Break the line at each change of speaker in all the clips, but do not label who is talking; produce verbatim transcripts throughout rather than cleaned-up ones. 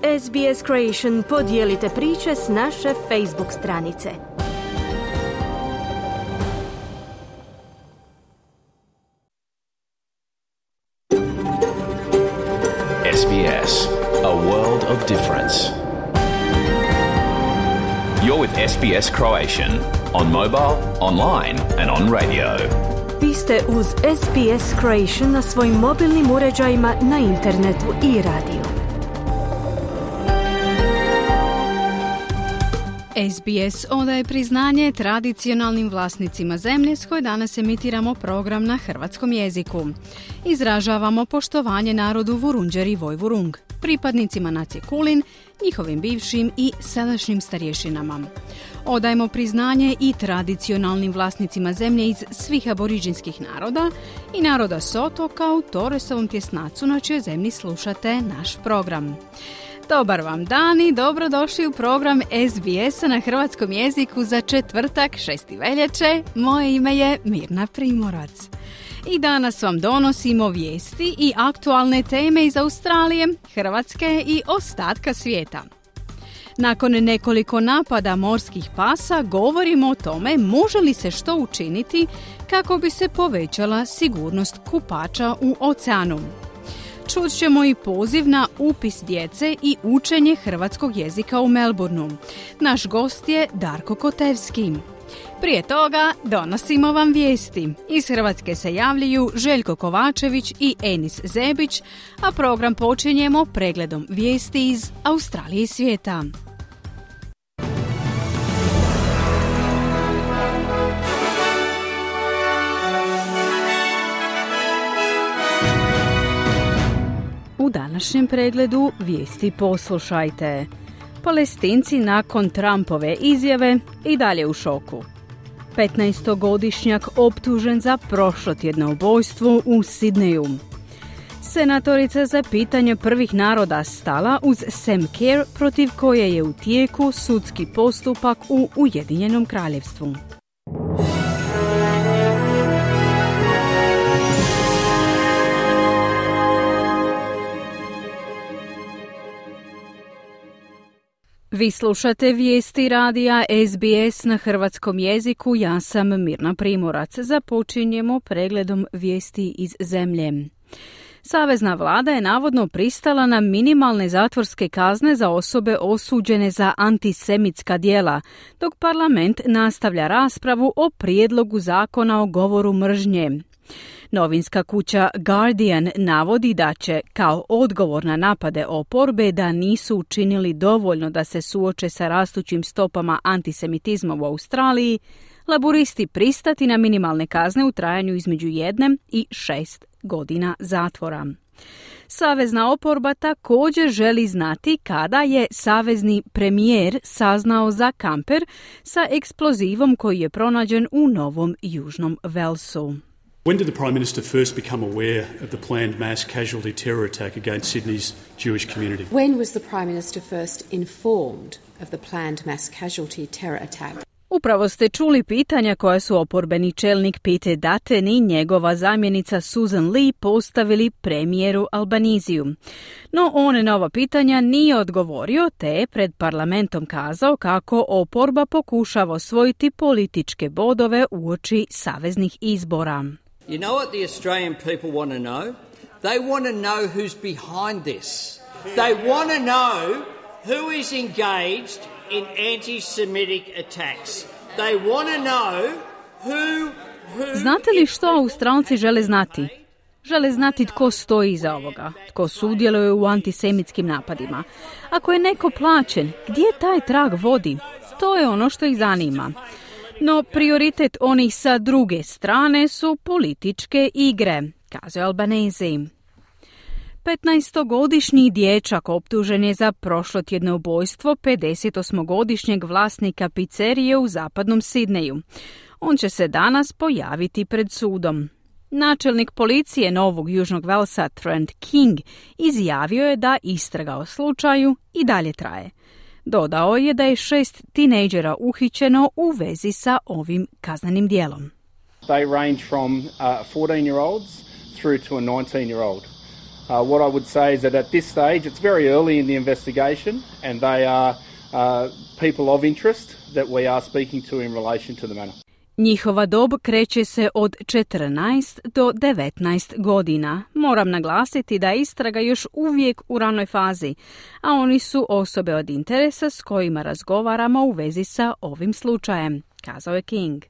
S B S Creation podijelite priče s naše Facebook stranice.
S B S, a world of difference. You're with S B S Croatian on mobile, online and on radio.
Vi ste uz S B S Croatian na svojim mobilnim uređajima, na internetu i radiju.
S B S odaje priznanje tradicionalnim vlasnicima zemlje s koje danas emitiramo program na hrvatskom jeziku. Izražavamo poštovanje narodu Vurundjeri Vojvurung, pripadnicima nacije Kulin, njihovim bivšim i sadašnjim starješinama. Odajemo priznanje i tradicionalnim vlasnicima zemlje iz svih aboriđinskih naroda i naroda s otoka u Torresovom tjesnacu na čijoj zemlji slušate naš program. Dobar vam dan i dobrodošli u program S B S-a na hrvatskom jeziku za četvrtak, šesti veljače. Moje ime je Mirna Primorac. I danas vam donosimo vijesti i aktualne teme iz Australije, Hrvatske i ostatka svijeta. Nakon nekoliko napada morskih pasa govorimo o tome može li se što učiniti kako bi se povećala sigurnost kupača u oceanu. Čut ćemo i poziv na upis djece i učenje hrvatskog jezika u Melbourneu. Naš gost je Darko Kotevski. Prije toga donosimo vam vijesti. Iz Hrvatske se javljaju Željko Kovačević i Enis Zebić, a program počinjemo pregledom vijesti iz Australije i svijeta. U današnjem pregledu vijesti poslušajte. Palestinci nakon Trumpove izjave i dalje u šoku. petnaestogodišnjak optužen za prošlotjedno ubojstvo u Sidneju. Senatorica za pitanje prvih naroda stala uz Sam Kerr, protiv koje je u tijeku sudski postupak u Ujedinjenom kraljevstvu. Vi slušate vijesti radija S B S na hrvatskom jeziku, ja sam Mirna Primorac. Započinjemo pregledom vijesti iz zemlje. Savezna vlada je navodno pristala na minimalne zatvorske kazne za osobe osuđene za antisemitska djela, dok parlament nastavlja raspravu o prijedlogu zakona o govoru mržnje. Novinska kuća Guardian navodi da će, kao odgovor na napade oporbe da nisu učinili dovoljno da se suoče sa rastućim stopama antisemitizma u Australiji, laburisti pristati na minimalne kazne u trajanju između jedne i šest godina zatvora. Savezna oporba također želi znati kada je savezni premijer saznao za kamper sa eksplozivom koji je pronađen u Novom Južnom Velsu.
When did the Prime Minister first become aware of the planned mass casualty terror attack against Sydney's Jewish community?
When was the Prime Minister first informed of the planned mass casualty terror attack?
Upravo ste čuli pitanja koja su oporbeni čelnik Pete Dutton i njegova zamjenica Susan Lee postavili premijeru Albaniziju. No on na ova pitanja nije odgovorio, te je pred parlamentom kazao kako oporba pokušava osvojiti političke bodove uoči saveznih izbora.
You know what the Australian people want to know? They want to know who's behind this. They want to know who is engaged in anti-Semitic attacks. They want to know who, who...
Znate li što Australci žele znati? Žele znati tko stoji iza ovoga, tko sudjeluje u antisemitskim napadima. Ako je neko plaćen, gdje taj trag vodi? To je ono što ih zanima. No prioritet onih sa druge strane su političke igre, kazuje Albanese. petnaestogodišnji dječak optužen je za prošlotjedno ubojstvo pedesetosmogodišnjeg vlasnika pizzerije u zapadnom Sidneju. On će se danas pojaviti pred sudom. Načelnik policije Novog Južnog Velsa Trent King izjavio je da istraga o slučaju i dalje traje. Dodao je da je šest tinejdžera uhićeno u vezi sa ovim kaznenim djelom.
They range from uh, fourteen-year-olds through to a nineteen-year-old. what I would say is that at this stage it's very early in the investigation and they are uh, people of interest that we are speaking to in relation to the matter.
Njihova dob kreće se od četrnaest do devetnaest godina. Moram naglasiti da je istraga još uvijek u ranoj fazi, a oni su osobe od interesa s kojima razgovaramo u vezi sa ovim slučajem, kazao je King.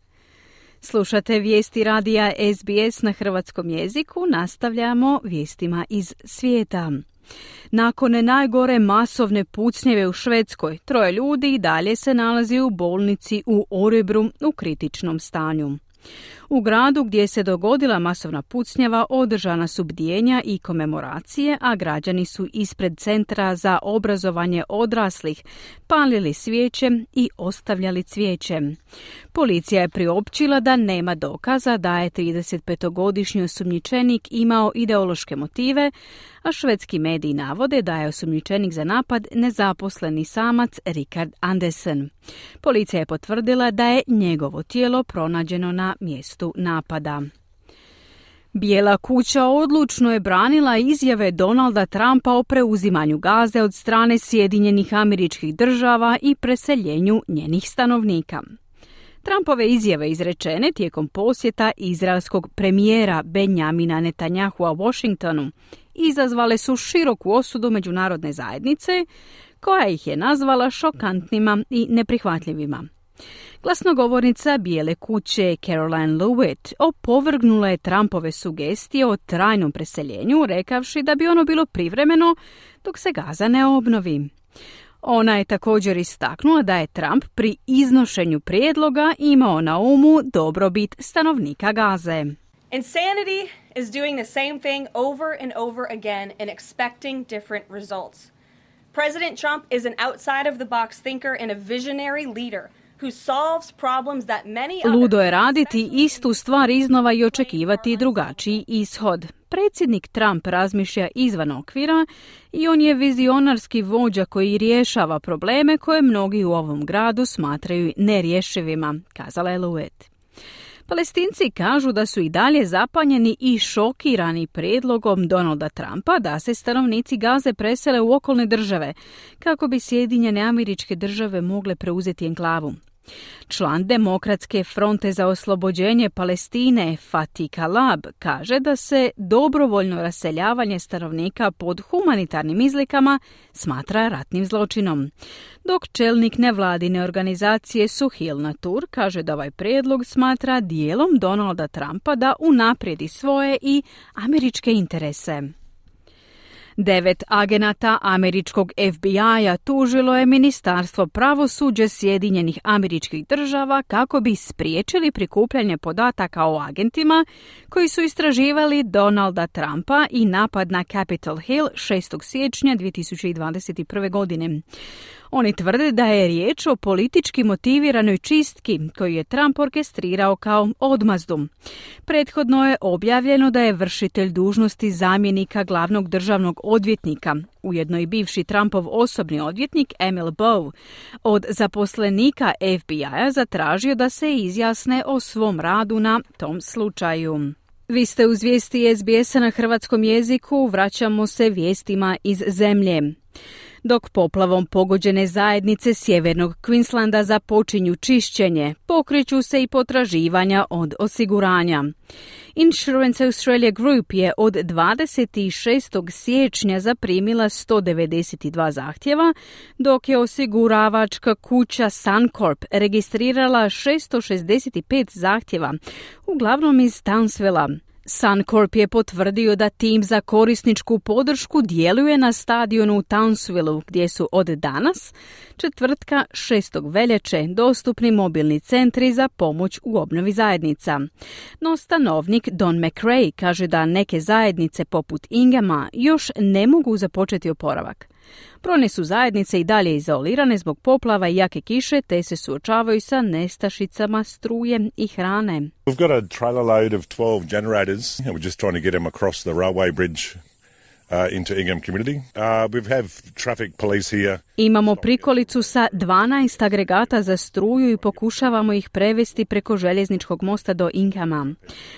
Slušate vijesti radija S B S na hrvatskom jeziku, nastavljamo vijestima iz svijeta. Nakon najgore masovne pucnjeve u Švedskoj, troje ljudi i dalje se nalazi u bolnici u Örebro u kritičnom stanju. U gradu gdje se dogodila masovna pucnjava održana su bdijenja i komemoracije, a građani su ispred Centra za obrazovanje odraslih palili svijeće i ostavljali cvijeće. Policija je priopćila da nema dokaza da je tridesetpetogodišnji osumnjičenik imao ideološke motive, a švedski mediji navode da je osumnjičenik za napad nezaposleni samac Richard Andersen. Policija je potvrdila da je njegovo tijelo pronađeno na mjestu napada. Bijela kuća odlučno je branila izjave Donalda Trumpa o preuzimanju Gaze od strane Sjedinjenih Američkih Država i preseljenju njenih stanovnika. Trumpove izjave izrečene tijekom posjeta izraelskog premijera Benjamina Netanyahua Washingtonu izazvale su široku osudu međunarodne zajednice, koja ih je nazvala šokantnima i neprihvatljivima. Glasnogovornica Bijele kuće Caroline Leavitt opovrgnula je Trumpove sugestije o trajnom preseljenju, rekavši da bi ono bilo privremeno dok se Gaza ne obnovi. Ona je također istaknula da je Trump pri iznošenju prijedloga imao na umu dobrobit stanovnika Gaze.
Insanity is doing the same thing over and over again and expecting different results. President Trump is an outside of the box thinker and a visionary leader who solves problems that many others...
Ludo je raditi istu stvar iznova i očekivati drugačiji ishod. Predsjednik Trump razmišlja izvan okvira i on je vizionarski vođa koji rješava probleme koje mnogi u ovom gradu smatraju nerješivima, kazala je Leavitt. Palestinci kažu da su i dalje zapanjeni i šokirani prijedlogom Donalda Trumpa da se stanovnici Gaze presele u okolne države kako bi Sjedinjene Američke Države mogle preuzeti enklavu. Član Demokratske fronte za oslobođenje Palestine Fatih Kalab kaže da se dobrovoljno raseljavanje stanovnika pod humanitarnim izlikama smatra ratnim zločinom, dok čelnik nevladine organizacije Suhil Natur kaže da ovaj prijedlog smatra dijelom Donalda Trumpa da unaprijedi svoje i američke interese. Devet agenata američkog F B I-a tužilo je Ministarstvo pravosuđa Sjedinjenih Američkih Država kako bi spriječili prikupljanje podataka o agentima koji su istraživali Donalda Trumpa i napad na Capitol Hill šestog siječnja dvije tisuće dvadeset prve. godine. Oni tvrde da je riječ o politički motiviranoj čistki koju je Trump orkestrirao kao odmazdu. Prethodno je objavljeno da je vršitelj dužnosti zamjenika glavnog državnog odvjetnika, ujedno i bivši Trumpov osobni odvjetnik Emil Bowe, od zaposlenika F B I-a zatražio da se izjasne o svom radu na tom slučaju. Vi ste uz vijesti S B S-a na hrvatskom jeziku, vraćamo se vijestima iz zemlje. Dok poplavom pogođene zajednice sjevernog Queenslanda započinju čišćenje, pokreću se i potraživanja od osiguranja. Insurance Australia Group je od dvadeset šestog siječnja zaprimila sto devedeset dva zahtjeva, dok je osiguravačka kuća Suncorp registrirala šesto šezdeset pet zahtjeva, uglavnom iz Townsvilla. Suncorp je potvrdio da tim za korisničku podršku djeluje na stadionu u Townsvillu, gdje su od danas, četvrtka šestog veljače, dostupni mobilni centri za pomoć u obnovi zajednica. No stanovnik Don McRae kaže da neke zajednice poput Ingama još ne mogu započeti oporavak. Brojne su zajednice i dalje izolirane zbog poplava i jake kiše, te se suočavaju sa nestašicama struje i hrane.
We've got a trailer load of twelve generators and we're just trying to get them across the railway bridge Uh, into Ingham community. Uh, we have traffic police here.
Imamo prikolicu sa dvanaest agregata za struju i pokušavamo ih prevesti preko željezničkog mosta do Inghama.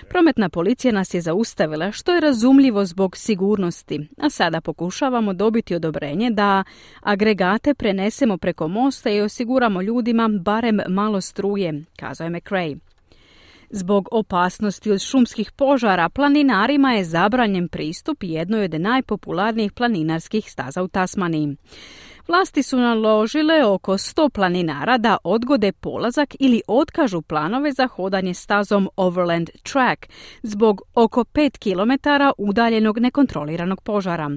Prometna policija nas je zaustavila, što je razumljivo zbog sigurnosti, a sada pokušavamo dobiti odobrenje da agregate prenesemo preko mosta i osiguramo ljudima barem malo struje, kazao je McRae. Zbog opasnosti od šumskih požara, planinarima je zabranjen pristup jednoj od najpopularnijih planinarskih staza u Tasmaniji. Vlasti su naložile oko sto planinara da odgode polazak ili otkažu planove za hodanje stazom Overland Track zbog oko pet kilometara udaljenog nekontroliranog požara.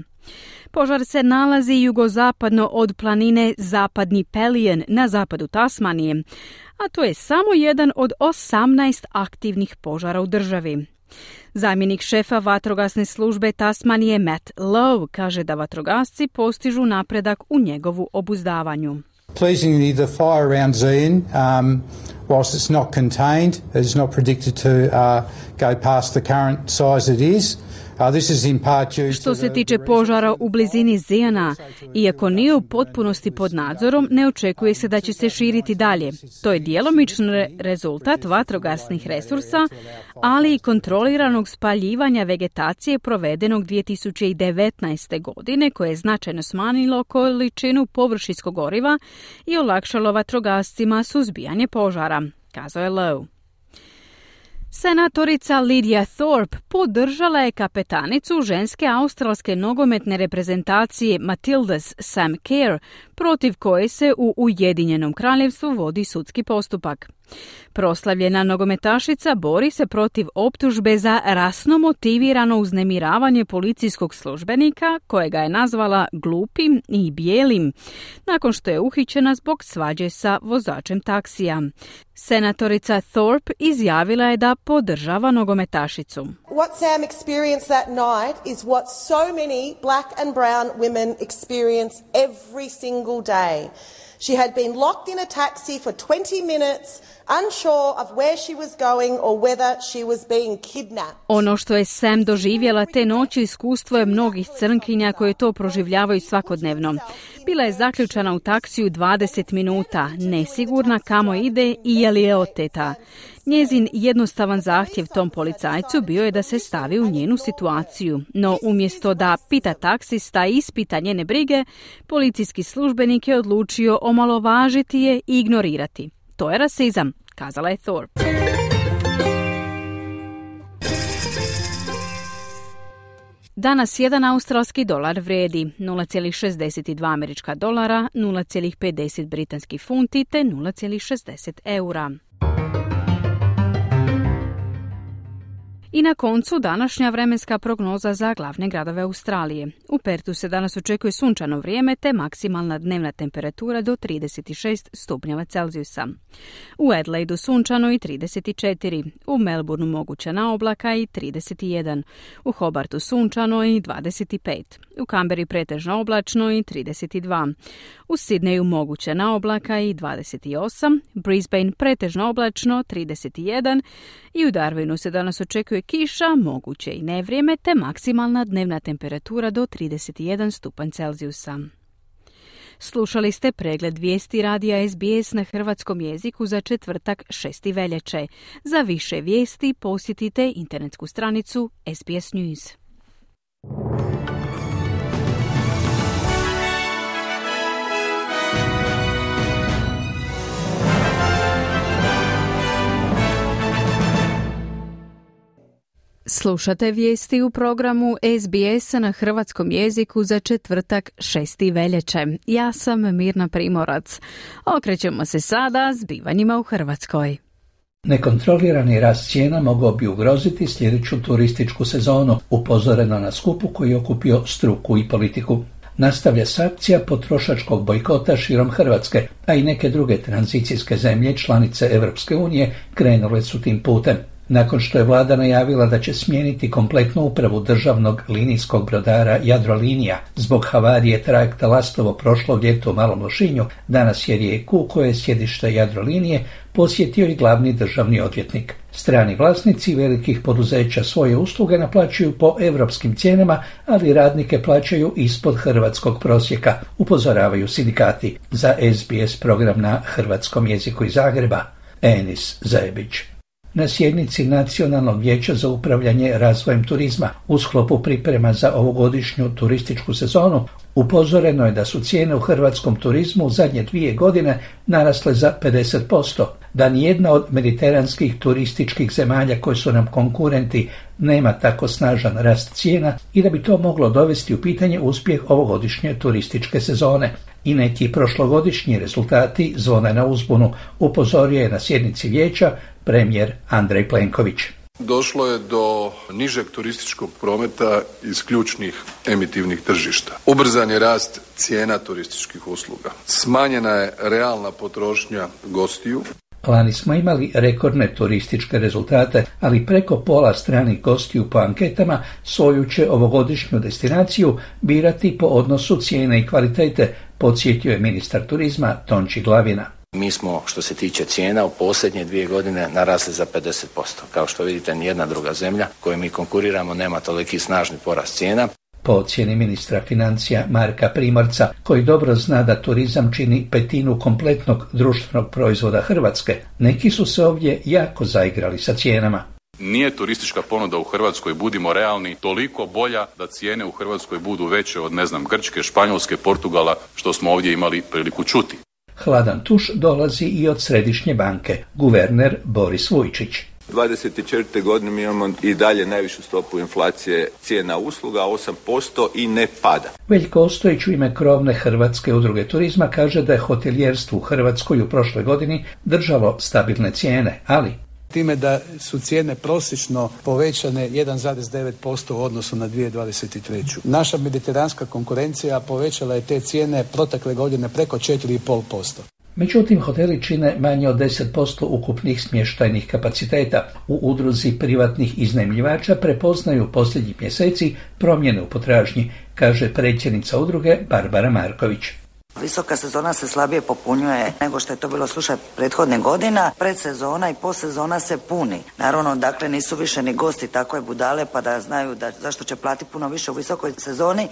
Požar se nalazi jugozapadno od planine Zapadni Pelion na zapadu Tasmanije, a to je samo jedan od osamnaest aktivnih požara u državi. Zamjenik šefa vatrogasne službe Tasmanije Matt Lowe kaže da vatrogasci postižu napredak u njegovu obuzdavanju.
Pleasingly, the fire around Zion, um, whilst it's not contained, is not predicted to uh, go past the current size it is.
Što se tiče požara u blizini Zijana, iako nije u potpunosti pod nadzorom, ne očekuje se da će se širiti dalje. To je djelomični rezultat vatrogasnih resursa, ali i kontroliranog spaljivanja vegetacije provedenog dvije tisuće devetnaeste. godine, koje je značajno smanjilo količinu površinskog goriva i olakšalo vatrogascima suzbijanje požara, kazao je Lowe. Senatorica Lydia Thorpe podržala je kapetanicu ženske australske nogometne reprezentacije Matildas Sam Kerr, protiv koje se u Ujedinjenom kraljevstvu vodi sudski postupak. Proslavljena nogometašica bori se protiv optužbe za rasno motivirano uznemiravanje policijskog službenika, kojega je nazvala glupim i bijelim, nakon što je uhićena zbog svađe sa vozačem taksija. Senatorica Thorpe izjavila je da podržava nogometašicu.
What Sam experienced that night is what so many black and brown women experience every single day. She had been locked in a taxi for twenty minutes, unsure of where she was going or whether she was being kidnapped.
Ono što je Sam doživjela te noći iskustvo je mnogih crnkinja koje to proživljavaju svakodnevno. Bila je zaključana u taksiju dvadeset minuta, nesigurna kamo ide i je li je oteta. Njezin jednostavan zahtjev tom policajcu bio je da se stavi u njenu situaciju, no umjesto da pita taksista i ispita njene brige, policijski službenik je odlučio omalovažiti je i ignorirati. To je rasizam, kazala je Thorpe. Danas jedan australski dolar vrijedi nula zarez šezdeset dva američka dolara, nula zarez pedeset britanskih funti te nula zarez šezdeset eura. I na koncu današnja vremenska prognoza za glavne gradove Australije. U Pertu se danas očekuje sunčano vrijeme te maksimalna dnevna temperatura do trideset šest stupnjeva Celzijusa. U Adelaidu sunčano i trideset četiri, u Melbourneu moguća oblaka i trideset jedan, u Hobartu sunčano i dvadeset pet, u Canberri pretežno oblačno i trideset dva, u Sidneju moguća oblaka i dvadeset osam, Brisbane pretežno oblačno trideset jedan i u Darwinu se danas očekuje kiša, moguće i nevrijeme te maksimalna dnevna temperatura do trideset jedan stupanj Celzijusa. Slušali ste pregled vijesti radija S B S na hrvatskom jeziku za četvrtak šesti veljače. Za više vijesti posjetite internetsku stranicu S B S News. Slušate vijesti u programu S B S na hrvatskom jeziku za četvrtak šesti veljače. Ja sam Mirna Primorac. Okrećemo se sada zbivanjima u Hrvatskoj.
Nekontrolirani rast cijena mogao bi ugroziti sljedeću turističku sezonu, upozoreno na skupu koji je okupio struku i politiku. Nastavlja se akcija potrošačkog bojkota širom Hrvatske, a i neke druge tranzicijske zemlje, članice Europske unije, krenule su tim putem. Nakon što je vlada najavila da će smijeniti kompletnu upravu državnog linijskog brodara Jadrolinija zbog havarije trajekta Lastovo prošlog ljeta u Malom Lošinju, danas je Rijeku, koje je sjedište Jadrolinije, posjetio i glavni državni odvjetnik. Strani vlasnici velikih poduzeća svoje usluge naplaćuju po europskim cijenama, ali radnike plaćaju ispod hrvatskog prosjeka, upozoravaju sindikati. Za S B S program na hrvatskom jeziku iz Zagreba, Enis Zajebić. Na sjednici Nacionalnog vijeća za upravljanje razvojem turizma u sklopu priprema za ovogodišnju turističku sezonu upozoreno je da su cijene u hrvatskom turizmu u zadnje dvije godine narasle za pedeset posto, da nijedna od mediteranskih turističkih zemalja koje su nam konkurenti nema tako snažan rast cijena i da bi to moglo dovesti u pitanje uspjeh ovogodišnje turističke sezone. I neki prošlogodišnji rezultati zvone na uzbunu, upozorio je na sjednici vijeća premijer Andrej Plenković.
Došlo je do nižeg turističkog prometa iz ključnih emitivnih tržišta. Ubrzan je rast cijena turističkih usluga. Smanjena je realna potrošnja gostiju.
Lani smo imali rekordne turističke rezultate, ali preko pola stranih gostiju po anketama svoju će ovogodišnju destinaciju birati po odnosu cijene i kvalitete, podsjetio je ministar turizma Tonči Glavina.
Mi smo, što se tiče cijena, u posljednje dvije godine narasli za pedeset posto. Kao što vidite, nijedna druga zemlja koju mi konkuriramo nema toliki snažni porast cijena.
Po ocjeni ministra financija Marka Primorca, koji dobro zna da turizam čini petinu kompletnog društvenog proizvoda Hrvatske, neki su se ovdje jako zaigrali sa cijenama.
Nije turistička ponuda u Hrvatskoj, budimo realni, toliko bolja da cijene u Hrvatskoj budu veće od, ne znam, Grčke, Španjolske, Portugala, što smo ovdje imali priliku čuti.
Hladan tuš dolazi i od Središnje banke, guverner Boris Vujčić.
dvadeset četvrte godine mi imamo i dalje najvišu stopu inflacije cijena usluga, osam posto i ne pada.
Veljko Ostojić u ime krovne Hrvatske udruge turizma kaže da je hotelijerstvo u Hrvatskoj u prošloj godini držalo stabilne cijene, ali
time da su cijene prosječno povećane jedan zarez devet posto u odnosu na dvije tisuće dvadeset treću. Naša mediteranska konkurencija povećala je te cijene protekle godine preko četiri zarez pet posto.
Međutim, hoteli čine manje od deset posto ukupnih smještajnih kapaciteta. U udruzi privatnih iznajmljivača prepoznaju posljednjih mjeseci promjene u potražnji, kaže predsjednica udruge Barbara Marković.
Visoka sezona se slabije popunjuje nego što je to bilo slučaj prethodne godina. Predsezona i postsezona se puni. Naravno, dakle, nisu više ni gosti takve budale pa da znaju da zašto će platiti puno više u visokoj sezoni.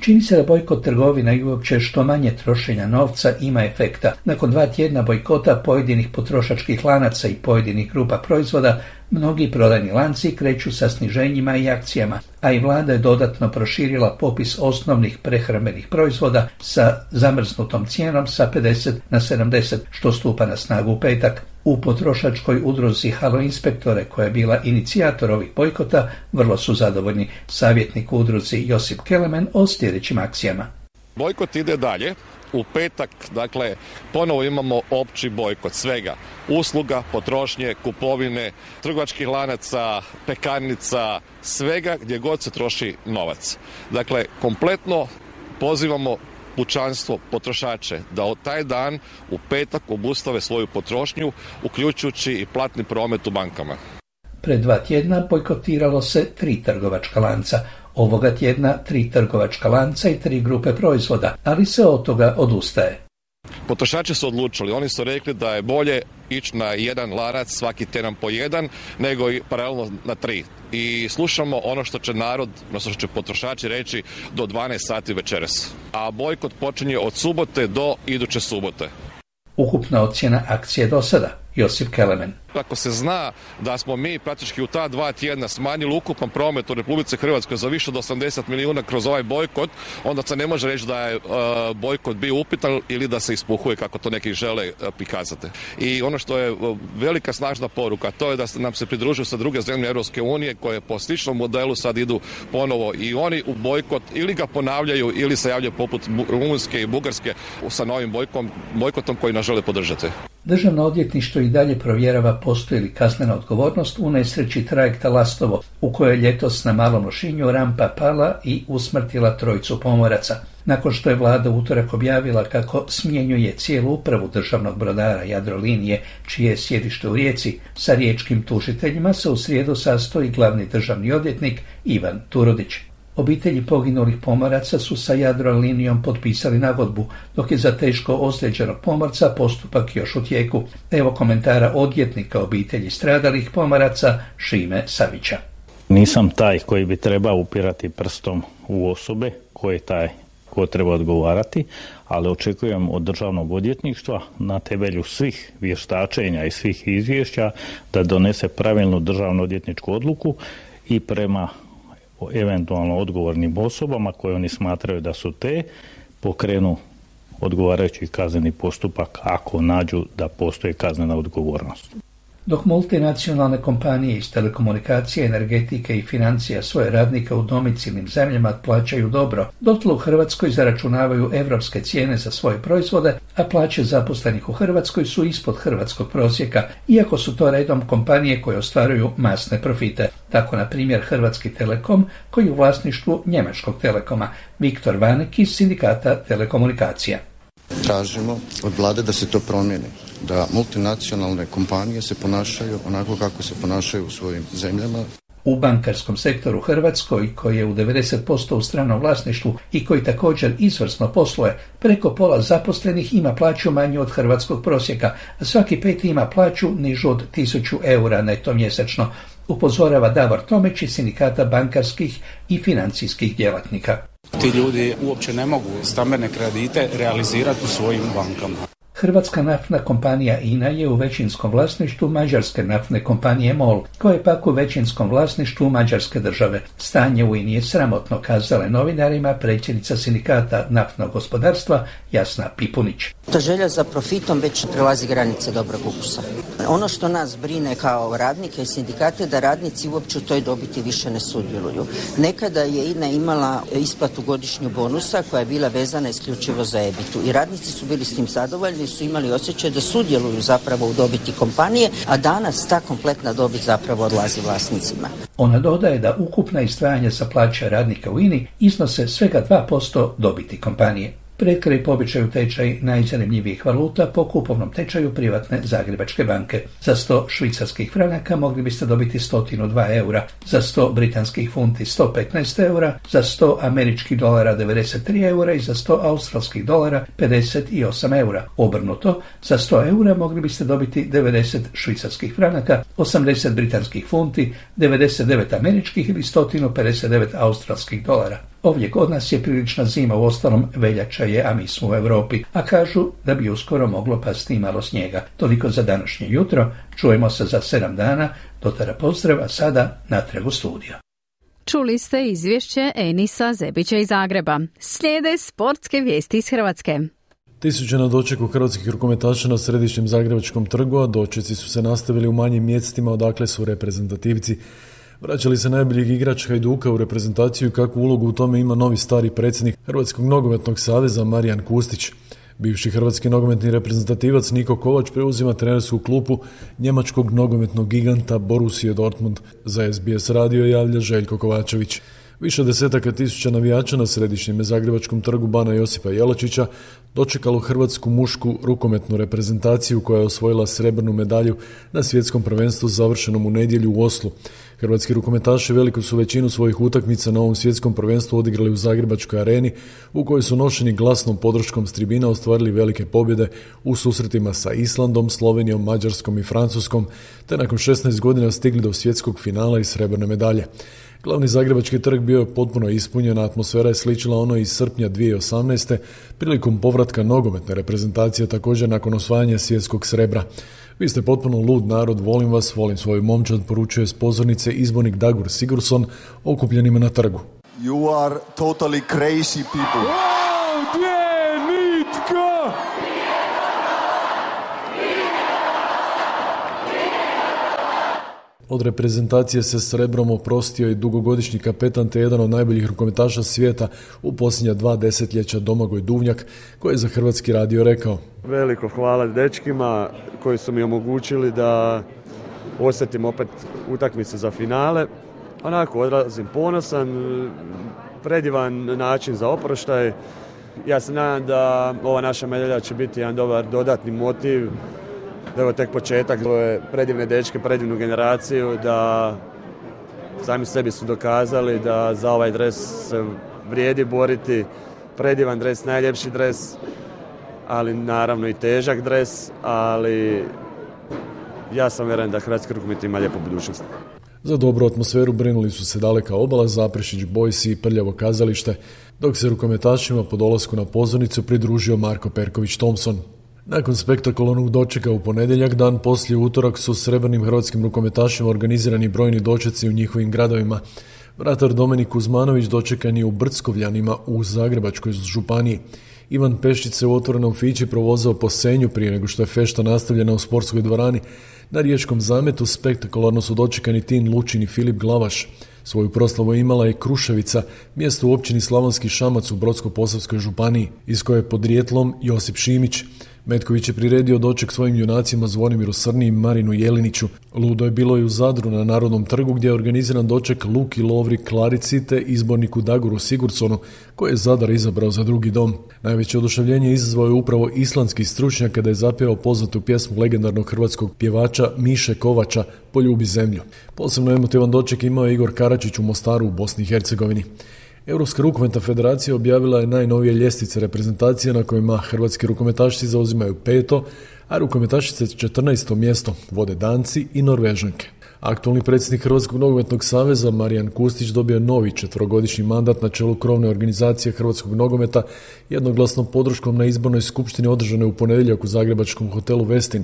Čini se da bojkot trgovina i uopće što manje trošenja novca ima efekta. Nakon dva tjedna bojkota pojedinih potrošačkih lanaca i pojedinih grupa proizvoda, mnogi prodajni lanci kreću sa sniženjima i akcijama, a i vlada je dodatno proširila popis osnovnih prehrambenih proizvoda sa zamrznutom cijenom sa pedeset na sedamdeset, što stupa na snagu u petak. U potrošačkoj udruzi Halo Inspektore, koja je bila inicijator ovih bojkota, vrlo su zadovoljni. Savjetnik u udruzi Josip Kelemen o sljedećim akcijama.
Bojkot ide dalje. U petak, dakle, ponovo imamo opći bojkot svega. Usluga, potrošnje, kupovine, trgovačkih lanaca, pekarnica, svega gdje god se troši novac. Dakle, kompletno pozivamo pučanstvo, potrošače, da od taj dan u petak obustave svoju potrošnju, uključujući i platni promet u bankama.
Pred dva tjedna bojkotiralo se tri trgovačka lanca. Ovoga tjedna tri trgovačka lanca i tri grupe proizvoda, ali se od toga odustaje.
Potrošači su odlučili, oni su rekli da je bolje ići na jedan lanac, svaki tjedan po jedan, nego i paralelno na tri. I slušamo ono što će narod, odnosno što će potrošači reći do dvanaest sati večeras. A bojkot počinje od subote do iduće subote.
Ukupna ocjena akcije do sada, Josip Kelemen.
Ako se zna da smo mi praktički u ta dva tjedna smanjili ukupan promet u Republici Hrvatskoj za više od osamdeset milijuna kroz ovaj bojkot, onda se ne može reći da je uh, bojkot bio upitan ili da se ispuhuje kako to neki žele uh, prikazati. I ono što je uh, velika snažna poruka, to je da nam se pridružuju sa druge zemlje Europske unije koje po sličnom modelu sad idu ponovo i oni u bojkot ili ga ponavljaju ili se javljaju poput Rumunjske i Bugarske sa novim bojkom, bojkotom koji nas žele podržati.
Državno odvjetništvo i dalje provjerava postoji li kaznena odgovornost u nesreći trajekta Lastovo, u kojoj je ljetos na Malom Lošinju rampa pala i usmrtila trojicu pomoraca. nakon što je vlada utorak objavila kako smjenjuje cijelu upravu državnog brodara Jadrolinije, čije je sjedište u Rijeci. Sa riječkim tužiteljima se u srijedu sastoji glavni državni odvjetnik Ivan Turudić. Obitelji poginulih pomoraca su sa Jadrolinijom potpisali nagodbu, dok je za teško ozlijeđenog pomorca postupak još u tijeku. Evo komentara odvjetnika obitelji stradalih pomoraca Šime Savića.
Nisam taj koji bi trebao upirati prstom u osobe koje taj ko treba odgovarati, ali očekujem od državnog odvjetništva na temelju svih vještačenja i svih izvješća da donese pravilnu državno odvjetničku odluku i prema eventualno odgovornim osobama koje oni smatraju da su te, pokrenu odgovarajući kazneni postupak ako nađu da postoji kaznena odgovornost.
Dok multinacionalne kompanije iz telekomunikacije, energetike i financija svoje radnike u domicilnim zemljama plaćaju dobro, dotle u Hrvatskoj zaračunavaju evropske cijene za svoje proizvode, a plaće zaposlenih u Hrvatskoj su ispod hrvatskog prosjeka, iako su to redom kompanije koje ostvaruju masne profite. Tako, na primjer, Hrvatski Telekom, koji je u vlasništvu njemačkog Telekoma. Viktor Vanek iz Sindikata telekomunikacija.
Tražimo od vlade da se to promijeni, da multinacionalne kompanije se ponašaju onako kako se ponašaju u svojim zemljama.
U bankarskom sektoru Hrvatskoj, koji je u devedeset posto u stranom vlasništvu i koji također izvrsno posluje, preko pola zaposlenih ima plaću manju od hrvatskog prosjeka, a svaki peti ima plaću nižu od tisuću eura neto mjesečno, upozorava Davor Tomić iz Sindikata bankarskih i financijskih djelatnika.
Ti ljudi uopće ne mogu stambene kredite realizirati u svojim bankama.
Hrvatska naftna kompanija I N A je u većinskom vlasništvu mađarske naftne kompanije MOL, koja je pak u većinskom vlasništvu mađarske države. Stanje u I N A je sramotno, kazala je novinarima predsjednica Sindikata naftnog gospodarstva Jasna Pipunić.
Ta želja za profitom već prelazi granice dobrog ukusa. Ono što nas brine kao radnike i sindikate, da radnici uopće u toj dobiti više ne sudjeluju. Nekada je I N A imala isplatu godišnju bonusa koja je bila vezana isključivo za E B I T-u i radnici su bili s tim zadovoljni, su imali osjećaj da sudjeluju zapravo u dobiti kompanije, a danas ta kompletna dobit zapravo odlazi vlasnicima.
Ona dodaje da ukupna izdvajanja za plaće radnika u I N A iznose svega dva posto dobiti kompanije. Pred kraj po običaju tečaj najzanimljivijih valuta po kupovnom tečaju privatne Zagrebačke banke. Za sto švicarskih franaka mogli biste dobiti sto dva eura, za sto britanskih funti sto petnaest eura, za sto američkih dolara devedeset tri eura i za sto australskih dolara pedeset osam eura. Obrnuto, za sto eura mogli biste dobiti devedeset švicarskih franaka, osamdeset britanskih funti, devedeset devet američkih ili sto pedeset devet australskih dolara. Ovdje kod nas je prilična zima, u ostalom veljača je, a mi smo u Europi, a kažu da bi uskoro moglo pasti i malo snijega. Toliko za današnje jutro, čujemo se za sedam dana, do tada pozdrav, a sada natrag u studio.
Čuli ste izvješće Enisa Zebića iz Zagreba. Slijede sportske vijesti iz Hrvatske.
Tisuće na dočeku hrvatskih rukometaša na središnjem Zagrebačkom trgu, a dočeci su se nastavili u manjim mjestima odakle su reprezentativci. Vraćali se najboljeg igrač Hajduka u reprezentaciju i kakvu ulogu u tome ima novi stari predsjednik Hrvatskog nogometnog saveza Marijan Kustić. Bivši hrvatski nogometni reprezentativac Niko Kovač preuzima trenersku klupu njemačkog nogometnog giganta Borussia Dortmund. Za S B S radio javlja Željko Kovačević. Više desetaka tisuća navijača na središnjem Zagrebačkom trgu Bana Josipa Jelačića dočekalo hrvatsku mušku rukometnu reprezentaciju koja je osvojila srebrnu medalju na svjetskom prvenstvu završenom u nedjelju u Oslu. Hrvatski rukometaši veliku su većinu svojih utakmica na ovom svjetskom prvenstvu odigrali u Zagrebačkoj areni, u kojoj su nošeni glasnom podrškom s tribina ostvarili velike pobjede u susretima sa Islandom, Slovenijom, Mađarskom i Francuskom, te nakon šesnaest godina stigli do svjetskog finala i srebrne medalje. Glavni Zagrebački trg bio je potpuno ispunjen, a atmosfera je sličila ono iz srpnja dvije tisuće osamnaeste prilikom povratka nogometne reprezentacije također nakon osvajanja svjetskog srebra. Vi ste potpuno lud narod, volim vas, volim svoju momčad, poručuje s pozornice izbornik Dagur Sigurdsson okupljenima na trgu.
You are totally crazy people.
Ovdje nitko! Od reprezentacije se srebrom oprostio i dugogodišnji kapetan te jedan od najboljih rukometaša svijeta u posljednja dva desetljeća Domagoj Duvnjak, koji je za Hrvatski radio rekao:
Veliko hvala dečkima koji su mi omogućili da osjetim opet utakmice za finale. Onako odlazim ponosan, predivan način za oproštaj. Ja se nadam da ova naša medalja će biti jedan dobar dodatni motiv, da je ovo tek početak, ovo je predivne dečke, predivnu generaciju, da sami sebi su dokazali da za ovaj dres se vrijedi boriti, predivan dres, najljepši dres, ali naravno i težak dres, ali ja sam vjeren da hrvatski rukomet ima lijepu budućnost.
Za dobru atmosferu brinuli su se Daleka obala, Zaprešić Boys i Prljavo kazalište, dok se rukometašima po dolasku na pozornicu pridružio Marko Perković Thompson. Nakon spektakularnog dočeka u ponedjeljak, dan poslije utorak su srebrnim hrvatskim rukometašima organizirani brojni dočeci u njihovim gradovima. Vratar Dominik Kuzmanović dočekan je u Brckovljanima u Zagrebačkoj županiji. Ivan Peščić se u otvorenom fići provozao po Senju prije nego što je fešta nastavljena u sportskoj dvorani. Na riječkom zametu spektakularno su dočekani Tin Lučin i Filip Glavaš. Svoju proslavu imala je Kruševica, mjesto u općini Slavonski Šamac u Brodsko-posavskoj županiji, iz koje je podrijetlom Josip Šimić. Metković je priredio doček svojim junacima Zvonimiru Srni i Marinu Jeliniću. Ludo je bilo i u Zadru na Narodnom trgu gdje je organiziran doček Luki Lovri Klarici te izborniku Dagoru Sigurdsonu, koje je Zadar izabrao za drugi dom. Najveće oduševljenje izazvao je upravo islandski stručnjak kada je zapjevao poznatu pjesmu legendarnog hrvatskog pjevača Miše Kovača Poljubi zemlju. Posebno emotivan doček imao je Igor Karačić u Mostaru u Bosni i Hercegovini. Europska rukometna federacija objavila je najnovije ljestvice reprezentacije na kojima hrvatski rukometašice zauzimaju peto, a rukometašice četrnaesto mjesto, vode Danci i Norvežanke. Aktualni predsjednik Hrvatskog nogometnog saveza Marijan Kustić dobio novi četverogodišnji mandat na čelu krovne organizacije hrvatskog nogometa jednoglasnom podrškom na izbornoj skupštini održanoj u ponedjeljak u zagrebačkom hotelu Westin.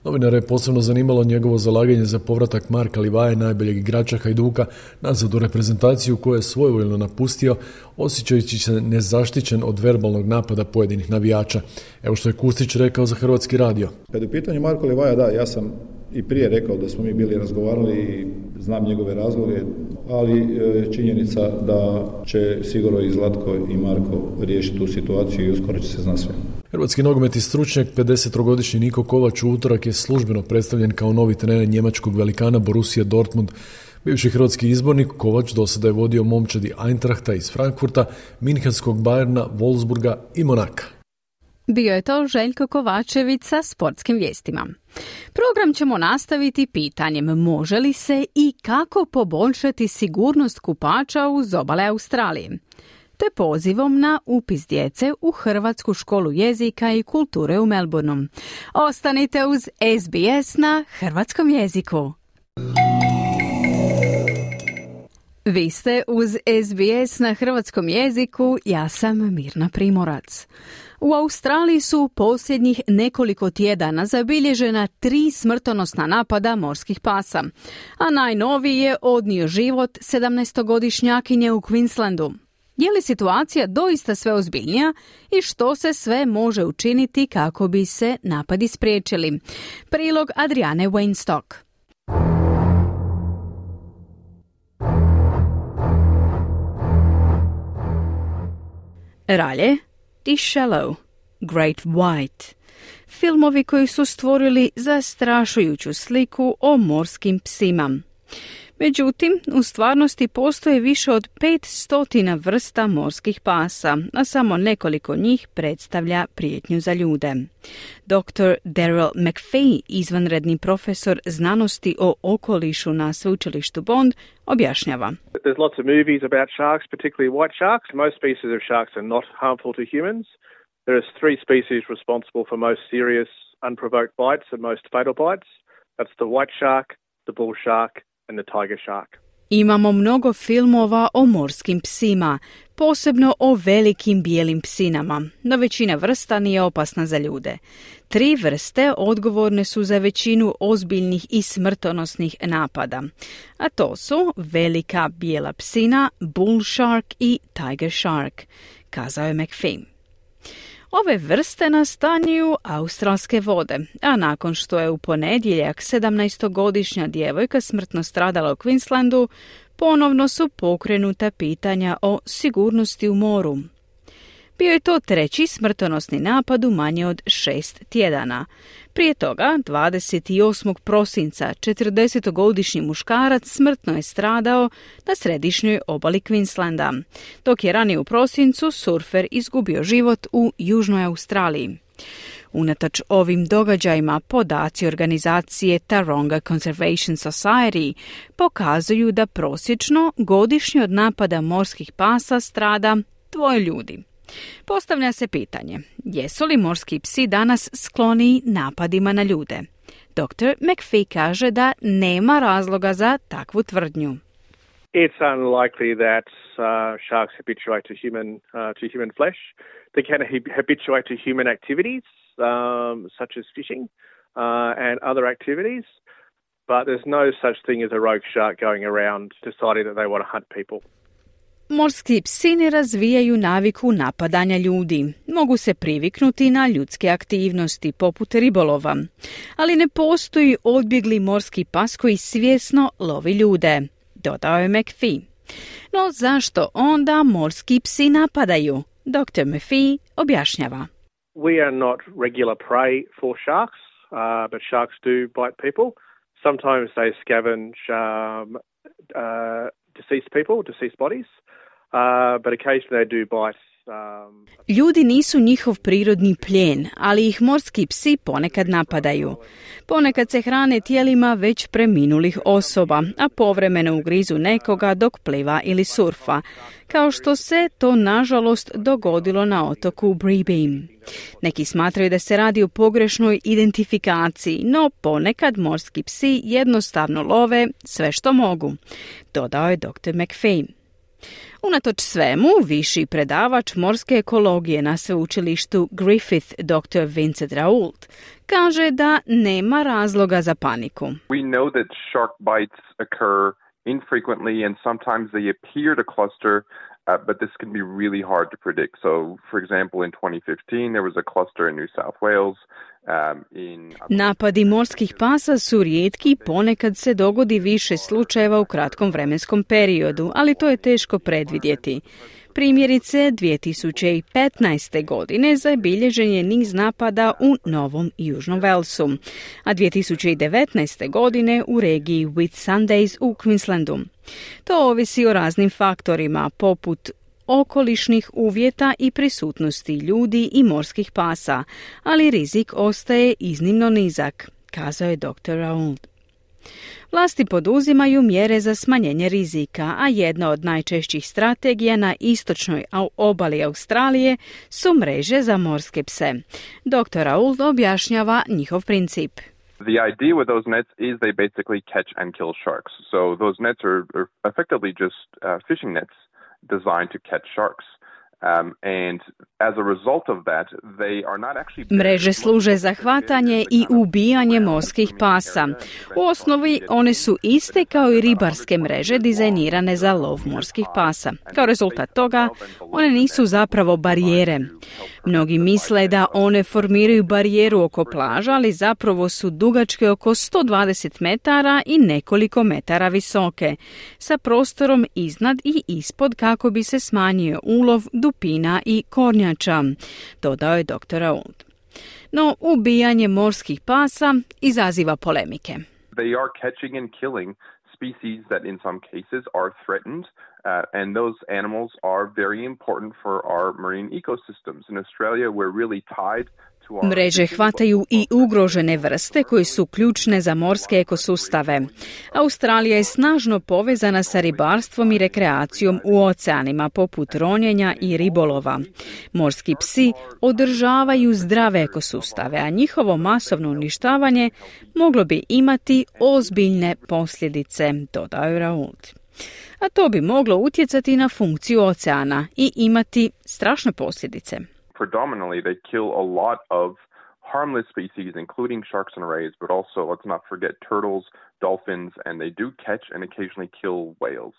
Novinare je posebno zanimalo njegovo zalaganje za povratak Marka Livaje, najboljeg igrača Hajduka, nazad u reprezentaciju koju je svojevoljno napustio, osjećajući se nezaštićen od verbalnog napada pojedinih navijača. Evo što je Kustić rekao za Hrvatski radio.
Kad je u pitanju Marko Livaja, da, ja sam i prije rekao da smo mi bili razgovarali i znam njegove razloge, ali e, činjenica da će sigurno i Zlatko i Marko riješiti tu situaciju i uskoro će se zna sve.
Hrvatski nogometni stručnjak pedesetogodišnji Niko Kovač u utorak je službeno predstavljen kao novi trener njemačkog velikana Borussia Dortmund. Bivši hrvatski izbornik Kovač do sada je vodio momčadi Eintrachta iz Frankfurta, Minhenskog Bayerna, Wolfsburga i Monaka.
Bio je to Željko Kovačević sa sportskim vijestima. Program ćemo nastaviti pitanjem može li se i kako poboljšati sigurnost kupača uz obale Australije, te pozivom na upis djece u Hrvatsku školu jezika i kulture u Melbourneu. Ostanite uz S B S na hrvatskom jeziku. Vi ste uz S B S na hrvatskom jeziku, ja sam Mirna Primorac. U Australiji su posljednjih nekoliko tjedana zabilježena tri smrtonosna napada morskih pasa, a najnoviji je odnio život sedamnaestogodišnjakinje u Queenslandu. Je li situacija doista sve ozbiljnija i što se sve može učiniti kako bi se napadi spriječili? Prilog Adriane Weinstock. Ralje, The Shallow, Great White. Filmovi koji su stvorili zastrašujuću sliku o morskim psima. Međutim, u stvarnosti postoje više od pet stotina vrsta morskih pasa, a samo nekoliko njih predstavlja prijetnju za ljude. doktor Daryl McPhee, izvanredni profesor znanosti o okolišu na sveučilištu Bond, objašnjava.
There's lots of movies about sharks, particularly white sharks. Most species of sharks are not harmful to humans. There are three species responsible for most serious unprovoked bites and most fatal bites. That's the white shark, the bull shark and the tiger shark.
Imamo mnogo filmova o morskim psima, posebno o velikim bijelim psinama, no većina vrsta nije opasna za ljude. Tri vrste odgovorne su za većinu ozbiljnih i smrtonosnih napada, a to su velika bijela psina, bull shark i tiger shark, kazao je McPhee. Ove vrste nastanjuju australske vode, a nakon što je u ponedjeljak sedamnaestogodišnja djevojka smrtno stradala u Queenslandu, ponovno su pokrenuta pitanja o sigurnosti u moru. Bio je to treći smrtonosni napad u manje od šest tjedana. Prije toga, dvadeset osmog prosinca, četrdesetogodišnji muškarac smrtno je stradao na središnjoj obali Queenslanda, dok je ranije u prosincu surfer izgubio život u Južnoj Australiji. Unatoč ovim događajima, podaci organizacije Taronga Conservation Society pokazuju da prosječno godišnje od napada morskih pasa strada dvoje ljudi. Postavlja se pitanje, jesu li morski psi danas skloniji napadima na ljude? doktor McPhee kaže da nema razloga za takvu tvrdnju.
It's unlikely that uh, sharks habituate to human uh, to human flesh. They can habituate to human activities, um, such as fishing uh, and other activities, but there's no such thing as a rogue shark going around deciding that they want to hunt people.
Morski psi ne razvijaju naviku napadanja ljudi. Mogu se priviknuti na ljudske aktivnosti, poput ribolova. Ali ne postoji odbjegli morski pas koji svjesno lovi ljude, dodao je McPhee. No zašto onda morski psi napadaju? doktor McPhee objašnjava.
We are not regular prey for sharks, uh, but sharks do bite people. Sometimes they scavenge um, uh, deceased people, deceased bodies. Uh, but occasionally they do bite. Um...
Ljudi nisu njihov prirodni plijen, ali ih morski psi ponekad napadaju. Ponekad se hrane tijelima već preminulih osoba, a povremeno ugrizu nekoga dok pliva ili surfa, kao što se to nažalost dogodilo na otoku Bribim. Neki smatraju da se radi o pogrešnoj identifikaciji, no ponekad morski psi jednostavno love sve što mogu, dodao je doktor McPhee. Unatoč svemu, viši predavač morske ekologije na sveučilištu Griffith, doktor Vincent Raoult, kaže da nema razloga za paniku.
We know that shark bites occur infrequently and sometimes they appear to cluster, uh, but this can be really hard to predict. So, for example, in twenty fifteen there was a cluster in New South Wales. Um, in...
Napadi morskih pasa su rijetki, ponekad se dogodi više slučajeva u kratkom vremenskom periodu, ali to je teško predvidjeti. Primjerice, dvije tisuće petnaeste. godine zabilježen je niz napada u Novom i Južnom Walesu, a dvije tisuće devetnaeste. godine u regiji Whitsundays u Queenslandu. To ovisi o raznim faktorima, poput okolišnih uvjeta i prisutnosti ljudi i morskih pasa, ali rizik ostaje iznimno nizak, kazao je doktor Raoult. Vlasti poduzimaju mjere za smanjenje rizika, a jedna od najčešćih strategija na istočnoj obali Australije su mreže za morske pse. doktor Raoult objašnjava njihov princip.
The idea with those nets is they basically catch and kill sharks. So those nets are, are effectively just uh, fishing nets designed to catch sharks. Um, and as a result of that, they are not actually...
Mreže služe za hvatanje i ubijanje morskih pasa. U osnovi one su iste kao i ribarske mreže dizajnirane za lov morskih pasa. Kao rezultat toga, one nisu zapravo barijere. Mnogi misle da one formiraju barijeru oko plaža, ali zapravo su dugačke oko sto dvadeset metara i nekoliko metara visoke, sa prostorom iznad i ispod kako bi se smanjio ulov dupina i kornjača, dodao je doktor Raoult. No, ubijanje morskih pasa izaziva polemike.
They are catching and killing species that in some cases are threatened, uh, and those animals are very important for our marine ecosystems. In Australia, we're really tied.
Mreže hvataju i ugrožene vrste koje su ključne za morske ekosustave. Australija je snažno povezana sa ribarstvom i rekreacijom u oceanima poput ronjenja i ribolova. Morski psi održavaju zdrave ekosustave, a njihovo masovno uništavanje moglo bi imati ozbiljne posljedice, dodao je Raoult. A to bi moglo utjecati na funkciju oceana i imati strašne posljedice.
Predominantly, they kill a lot of harmless species, including sharks and rays, but also, let's not forget, turtles, dolphins, and they do catch and occasionally kill whales.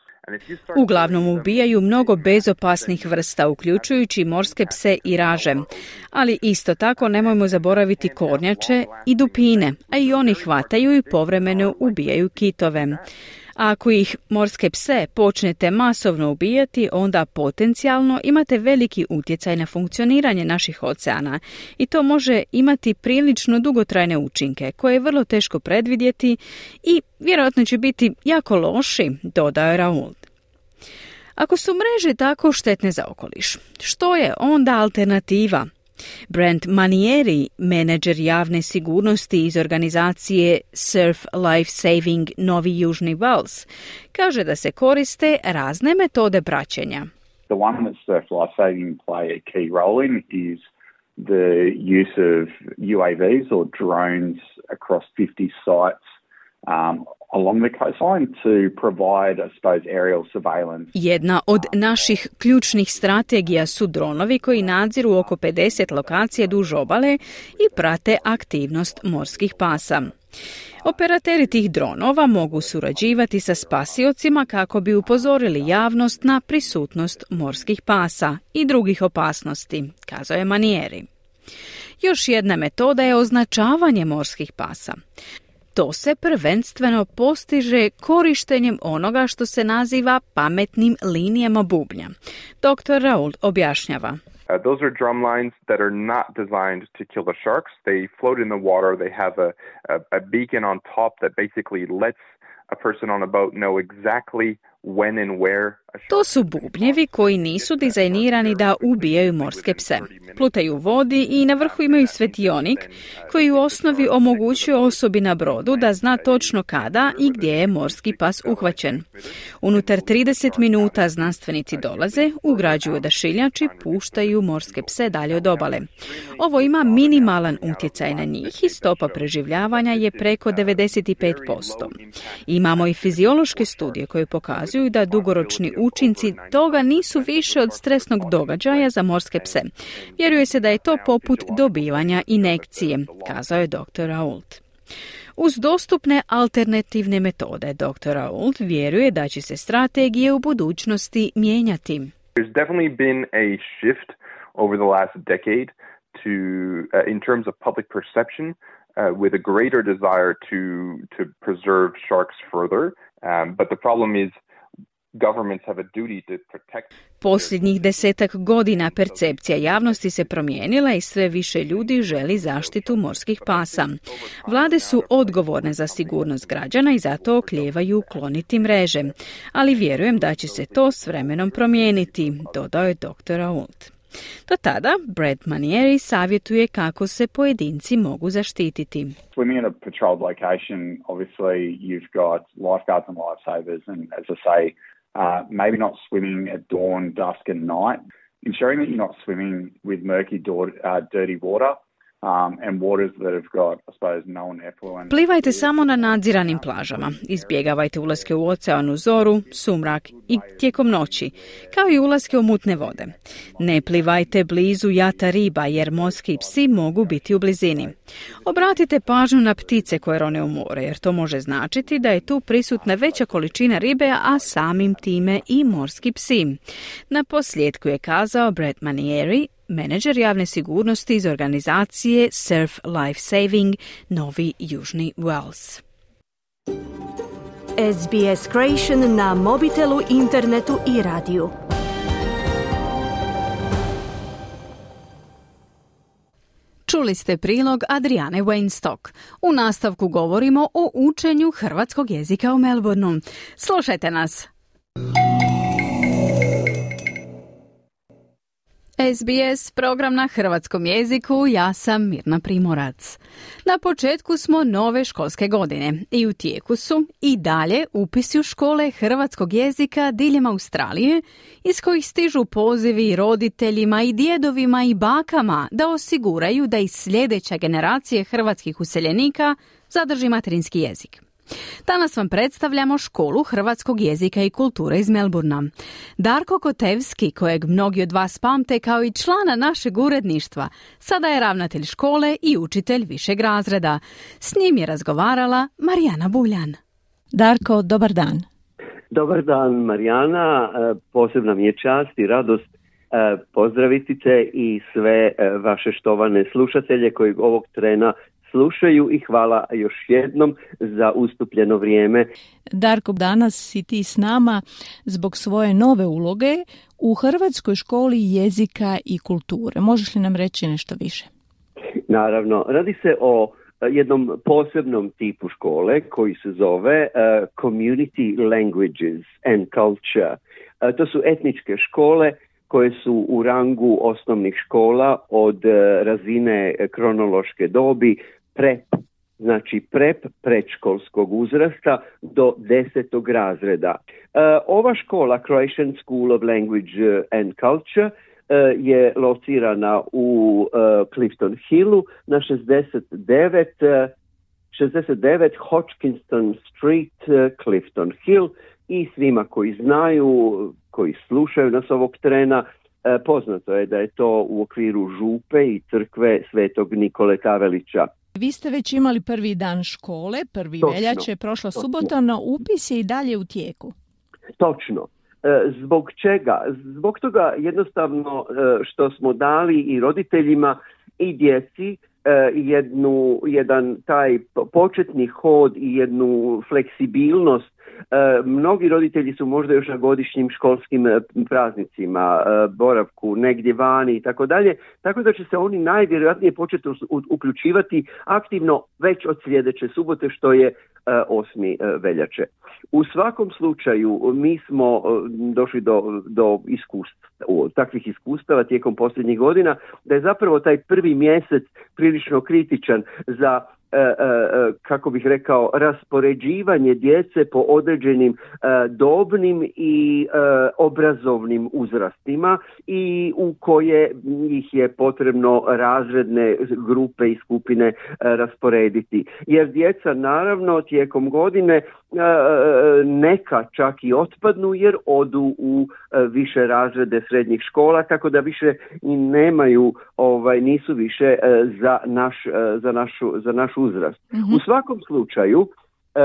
Uglavnom ubijaju mnogo bezopasnih vrsta, uključujući morske pse i raže. Ali isto tako nemojmo zaboraviti kornjače i dupine, a i oni hvataju i povremeno ubijaju kitove. A ako ih morske pse počnete masovno ubijati, onda potencijalno imate veliki utjecaj na funkcioniranje naših oceana i to može imati prilično dugotrajne učinke koje je vrlo teško predvidjeti i vjerojatno će biti jako loši, dodao je Raoult. Ako su mreže tako štetne za okoliš, što je onda alternativa? Brent Manieri, menadžer javne sigurnosti iz organizacije Surf Life Saving Novi Južni Wales, kaže da se koriste razne metode praćenja.
The one that Surf Life Saving play a key role in is the use of U A Vs or drones across fifty sites um, along the coastline to provide, I suppose, aerial surveillance.
Jedna od naših ključnih strategija su dronovi koji nadziru oko pedeset lokacije duž obale i prate aktivnost morskih pasa. Operateri tih dronova mogu surađivati sa spasiocima kako bi upozorili javnost na prisutnost morskih pasa i drugih opasnosti, kazao je Manieri. Još jedna metoda je označavanje morskih pasa. To se prvenstveno postiže korištenjem onoga što se naziva pametnim linijama bubnja. doktor Raoult objašnjava.
Uh, those are drum lines that are not designed to kill the sharks. They float in the water. They have a, a, a beacon on top that basically lets a person on a boat know exactly when and where a shark.
To su bubnjevi koji nisu dizajnirani da ubijaju morske pse. Plutaju u vodi i na vrhu imaju svetionik koji u osnovi omogućuje osobi na brodu da zna točno kada i gdje je morski pas uhvaćen. Unutar trideset minuta znanstvenici dolaze, ugrađuju odašiljač i puštaju morske pse dalje od obale. Ovo ima minimalan utjecaj na njih i stopa preživljavanja je preko devedeset pet posto. Imamo i fiziološke studije koje pokazuju da dugoročni učinci toga nisu više od stresnog događaja za morske pse. Vjeruje se da je to poput dobivanja injekcije, kazao je doktor Raoult. Uz dostupne alternativne metode, doktor Raoult vjeruje da će se strategije u budućnosti mijenjati.
There's definitely been a shift over the last decade to uh, in terms of public perception uh, with a greater desire to to preserve sharks further, um, but the problem is governments have a duty to protect.
Posljednjih desetak godina percepcija javnosti se promijenila i sve više ljudi želi zaštitu morskih pasa. Vlade su odgovorne za sigurnost građana i zato oklijevaju kloniti mreže. Ali vjerujem da će se to s vremenom promijeniti, dodao je doktor Raoult. Do tada, Brent Manieri savjetuje kako se pojedinci mogu zaštititi.
Swimming in a patrolled location, obviously you've got lifeguards and lifesavers, and as I say, uh, maybe not swimming at dawn, dusk and night. Ensuring that you're not swimming with murky, uh, dirty water. Um, and waters that have got, I suppose, known effluent.
Plivajte samo na nadziranim plažama. Izbjegavajte ulaske u ocean u zoru, sumrak i tijekom noći, kao i ulaske u mutne vode. Ne plivajte blizu jata riba jer morski psi mogu biti u blizini. Obratite pažnju na ptice koje rone u more jer to može značiti da je tu prisutna veća količina ribe, a samim time i morski psi. Na posljedku je kazao Brent Manieri, menadžer javne sigurnosti iz organizacije Surf Life Saving Novi Južni Wales.
S B S Creation na mobitelu, internetu i radiju.
Čuli ste prilog Adriane Weinstock. U nastavku govorimo o učenju hrvatskog jezika u Melbourneu. Slušajte nas! S B S program na hrvatskom jeziku, ja sam Mirna Primorac. Na početku smo nove školske godine i u tijeku su i dalje upisi u škole hrvatskog jezika diljem Australije, iz kojih stižu pozivi roditeljima i djedovima i bakama da osiguraju da i sljedeća generacije hrvatskih useljenika zadrži materinski jezik. Danas vam predstavljamo školu hrvatskog jezika i kulture iz Melbournea. Darko Kotevski, kojeg mnogi od vas pamte kao i člana našeg uredništva, sada je ravnatelj škole i učitelj višeg razreda. S njim je razgovarala Marijana Buljan.
Darko, dobar dan.
Dobar dan, Marijana. Posebna mi je čast i radost
pozdraviti te i sve vaše štovane slušatelje koji ovog trena slušaju i hvala još jednom za ustupljeno vrijeme.
Darko, danas si ti s nama zbog svoje nove uloge u Hrvatskoj školi jezika i kulture. Možeš li nam reći nešto više?
Naravno, radi se o jednom posebnom tipu škole koji se zove uh, Community Languages and Culture. Uh, to su etničke škole koje su u rangu osnovnih škola od uh, razine kronološke dobi prep, znači prep predškolskog uzrasta do desetog razreda. Uh, ova škola, Croatian School of Language and Culture, uh, je locirana u uh, Clifton Hillu na šezdeset devet, uh, šezdeset devet Hodgkinson Street, uh, Clifton Hill, i svima koji znaju, koji slušaju nas ovog trena, uh, poznato je da je to u okviru župe i crkve Svetog Nikole Kavelića.
Vi ste već imali prvi dan škole, prvi
Točno,
veljače, prošla
točno.
subota, no upis je i dalje u tijeku.
Točno. E, zbog čega? Zbog toga jednostavno e, što smo dali i roditeljima i djeci e, jednu, jedan taj početni hod i jednu fleksibilnost. E, mnogi roditelji su možda još na godišnjim školskim praznicima, e, boravku negdje vani i tako dalje, tako da će se oni najvjerojatnije početi uključivati aktivno već od sljedeće subote, što je e, osmi veljače. U svakom slučaju mi smo e, došli do, do iskustva, takvih iskustava tijekom posljednjih godina, da je zapravo taj prvi mjesec prilično kritičan za kako bih rekao, raspoređivanje djece po određenim dobnim i obrazovnim uzrastima i u koje ih je potrebno razredne grupe i skupine rasporediti. Jer djeca naravno tijekom godine neka čak i otpadnu jer odu u više razrede srednjih škola, tako da više i nemaju, ovaj, nisu više za naš, za našu, za našu uzrast. Mm-hmm. U svakom slučaju e,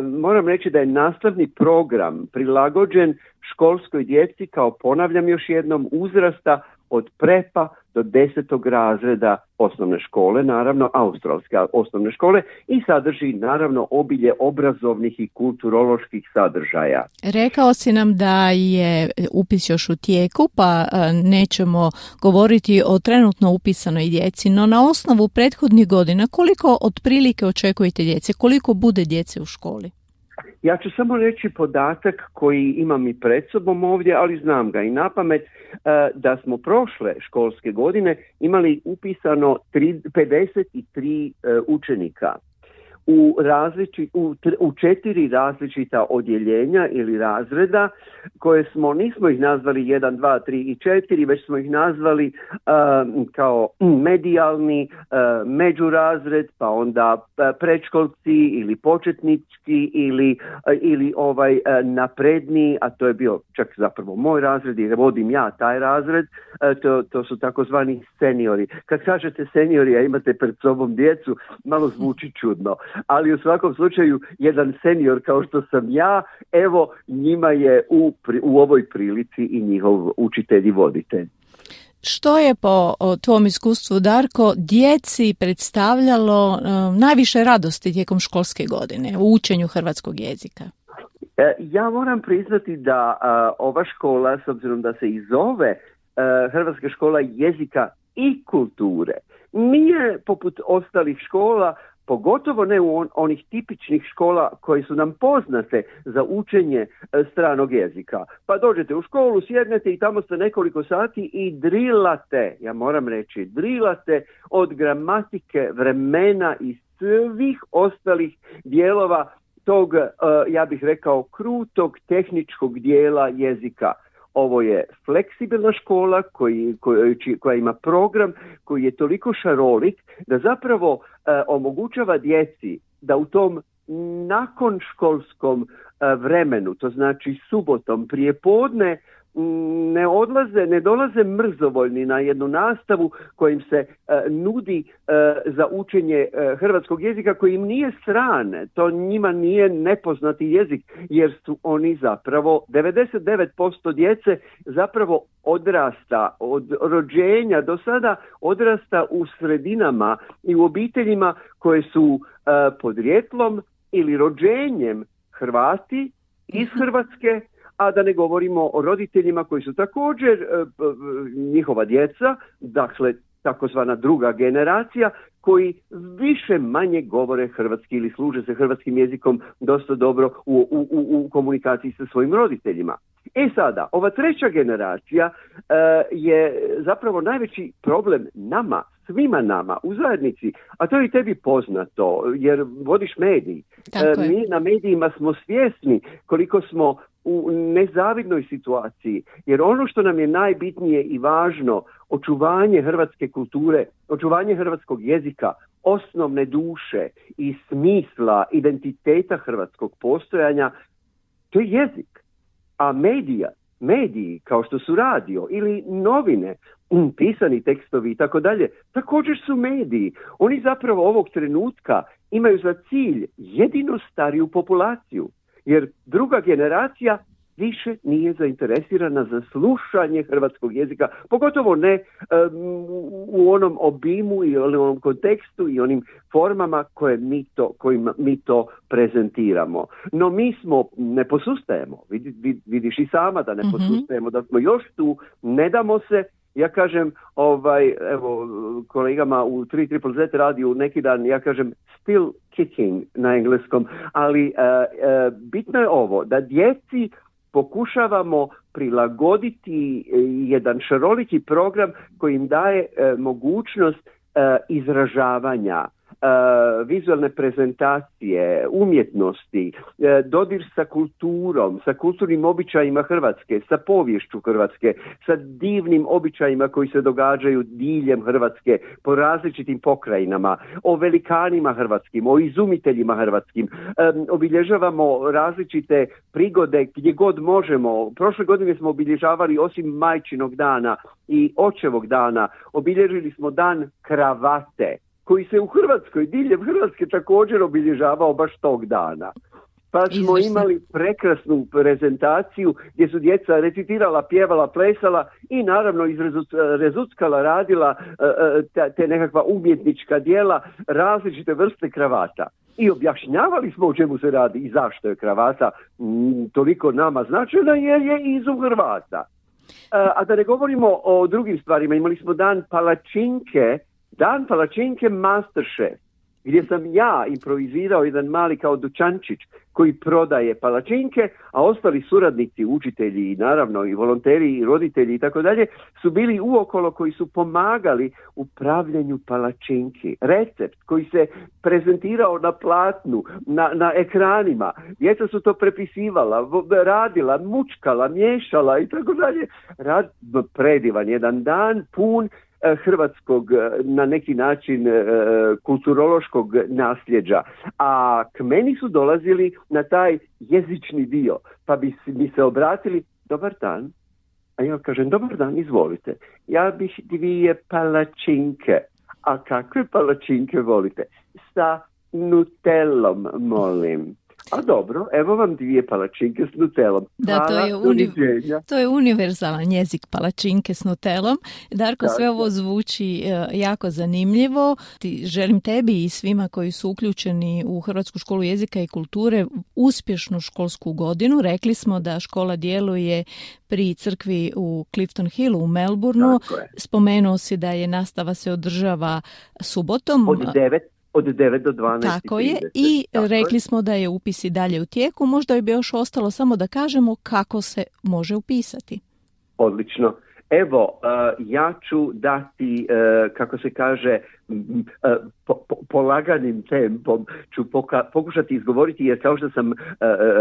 moram reći da je nastavni program prilagođen školskoj djeci, kao ponavljam još jednom, uzrasta od prepa do desetog razreda osnovne škole, naravno australske osnovne škole, i sadrži naravno obilje obrazovnih i kulturoloških sadržaja.
Rekao si nam da je upis još u tijeku, pa nećemo govoriti o trenutno upisanoj djeci, no na osnovu prethodnih godina koliko otprilike očekujete djece, koliko bude djece u školi?
Ja ću samo reći podatak koji imam i pred sobom ovdje, ali znam ga i napamet, da smo prošle školske godine imali upisano pedeset tri učenika u, različi, u, u četiri različita odjeljenja ili razreda, koje smo, nismo ih nazvali jedan, dva, tri i četiri, već smo ih nazvali uh, kao medijalni, uh, međurazred, pa onda predškolci ili početnički ili, uh, ili ovaj uh, napredni, a to je bio čak zapravo moj razred jer vodim ja taj razred, uh, to, to su takozvani seniori. Kad kažete seniori, a imate pred sobom djecu, malo zvuči čudno. Ali u svakom slučaju jedan senior kao što sam ja, evo njima je u, u ovoj prilici i njihov učitelj i voditelj.
Što je po tvom iskustvu, Darko, djeci predstavljalo uh, najviše radosti tijekom školske godine u učenju hrvatskog jezika?
E, ja moram priznati da uh, ova škola, s obzirom da se i zove uh, Hrvatska škola jezika i kulture, nije poput ostalih škola, pogotovo ne u on, onih tipičnih škola koje su nam poznate za učenje e, stranog jezika. Pa dođete u školu, sjednete i tamo ste nekoliko sati i drilate, ja moram reći, drilate od gramatike, vremena i svih ostalih dijelova tog, e, ja bih rekao, krutog tehničkog dijela jezika. Ovo je fleksibilna škola koji, koji, koja ima program koji je toliko šarolik da zapravo e, omogućava djeci da u tom nakon školskom e, vremenu, to znači subotom prije podne, ne odlaze, ne dolaze mrzovoljni na jednu nastavu kojim se uh, nudi uh, za učenje uh, hrvatskog jezika koji im nije strane, to njima nije nepoznati jezik, jer su oni zapravo, devedeset devet posto djece zapravo odrasta, od rođenja do sada odrasta u sredinama i u obiteljima koje su uh, podrijetlom ili rođenjem Hrvati iz Hrvatske, a da ne govorimo o roditeljima koji su također njihova djeca, dakle takozvana druga generacija, koji više manje govore hrvatski ili služe se hrvatskim jezikom dosta dobro u, u, u komunikaciji sa svojim roditeljima. E sada, ova treća generacija uh, je zapravo najveći problem nama, svima nama u zajednici, a to je i tebi poznato, jer vodiš medij. Uh, mi na medijima smo svjesni koliko smo u nezavidnoj situaciji, jer ono što nam je najbitnije i važno, očuvanje hrvatske kulture, očuvanje hrvatskog jezika, osnovne duše i smisla, identiteta hrvatskog postojanja, to je jezik. A medija, mediji kao što su radio ili novine, pisani tekstovi i tako dalje, također su mediji. Oni zapravo ovog trenutka imaju za cilj jedino stariju populaciju, jer druga generacija više nije zainteresirana za slušanje hrvatskog jezika, pogotovo ne um, u onom obimu i onom kontekstu i onim formama koje mi to, kojima mi to prezentiramo. No mi smo, ne posustajemo, Vid, vid, vidiš i sama da ne mm-hmm. posustajemo, da smo još tu, ne damo se. Ja kažem, ovaj, evo, kolegama u tri triple zet radiju neki dan, ja kažem still kicking na engleskom, ali uh, uh, bitno je ovo, da djeci pokušavamo prilagoditi jedan šaroliki program koji im daje uh, mogućnost uh, izražavanja, Uh, vizualne prezentacije, umjetnosti, uh, dodir sa kulturom, sa kulturnim običajima Hrvatske, sa poviješću Hrvatske, sa divnim običajima koji se događaju diljem Hrvatske po različitim pokrajinama, o velikanima hrvatskim, o izumiteljima hrvatskim. Um, obilježavamo različite prigode gdje god možemo. Prošle godine smo obilježavali, osim Majčinog dana i Očevog dana, obilježili smo dan kravate, koji se u Hrvatskoj, diljem Hrvatske također obilježavao baš tog dana. Pa smo Izvršno. imali prekrasnu prezentaciju gdje su djeca recitirala, pjevala, plesala i naravno izrezuckala, radila te, te nekakva umjetnička djela, različite vrste kravata. I objašnjavali smo o čemu se radi i zašto je kravata m, toliko nama značajna, jer je izum Hrvata. A, a da ne govorimo o drugim stvarima, imali smo dan palačinke, Dan palačinke Masterchef, gdje sam ja improvizirao jedan mali kao dućančić koji prodaje palačinke, a ostali suradnici, učitelji i naravno i volonteri i roditelji i tako dalje su bili uokolo koji su pomagali u pravljenju palačinki. Recept koji se prezentirao na platnu, na, na ekranima. Djeca su to prepisivala, radila, mučkala, miješala i tako dalje. Rad, predivan jedan dan pun hrvatskog na neki način kulturološkog nasljeđa. A k meni su dolazili na taj jezični dio, pa bi mi se obratili, dobar dan. A ja kažem, dobar dan, izvolite. Ja bih dvije palačinke. A kakve palačinke volite? Sa nutellom, molim. A dobro, evo vam dvije palačinke s nutelom.
Da, to je, uni... to je univerzalan jezik, palačinke s nutelom. Darko, sve ovo zvuči jako zanimljivo. Ti, želim tebi i svima koji su uključeni u Hrvatsku školu jezika i kulture uspješnu školsku godinu. Rekli smo da škola djeluje pri crkvi u Clifton Hillu u Melbourneu. Spomenuo si da je nastava se održava subotom.
Od devet. Od devet do dvanaest.
Tako je. I Tako rekli je. smo da je upis i dalje u tijeku. Možda bi još ostalo samo da kažemo kako se može upisati.
Odlično. Evo, uh, ja ću dati, uh, kako se kaže, uh, po, po, polaganim tempom ću poka- pokušati izgovoriti, jer kao što sam uh,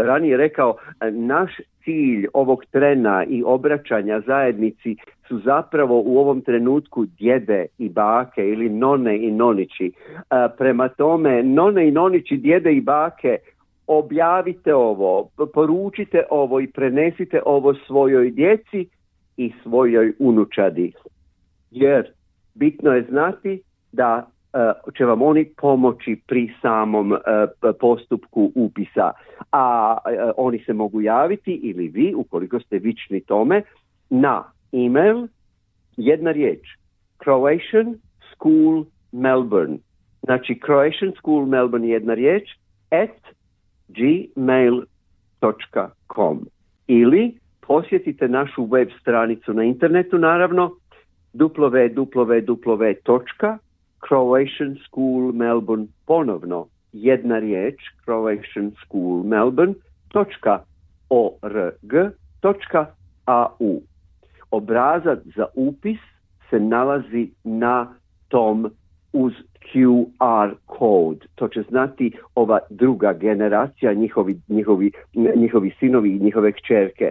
ranije rekao, uh, naš cilj ovog trena i obraćanja zajednici su zapravo u ovom trenutku djede i bake ili none i nonići. Uh, prema tome, none i nonići, djede i bake, objavite ovo, poručite ovo i prenesite ovo svojoj djeci i svojoj unučadi. Jer bitno je znati da uh, će vam oni pomoći pri samom uh, postupku upisa. A uh, oni se mogu javiti, ili vi, ukoliko ste vični tome, na email, jedna riječ, Croatian School Melbourne. Znači Croatian School Melbourne jedna riječ, at gmail dot com. Ili posjetite našu web stranicu na internetu, naravno, w w w dot croatian school melbourne, ponovno jedna riječ, Croatian School Melbourne dot org dot a u. Obrazac za upis se nalazi na tom uz Q R kod. To će znati ova druga generacija, njihovi, njihovi, njihovi sinovi i njihove kćerke.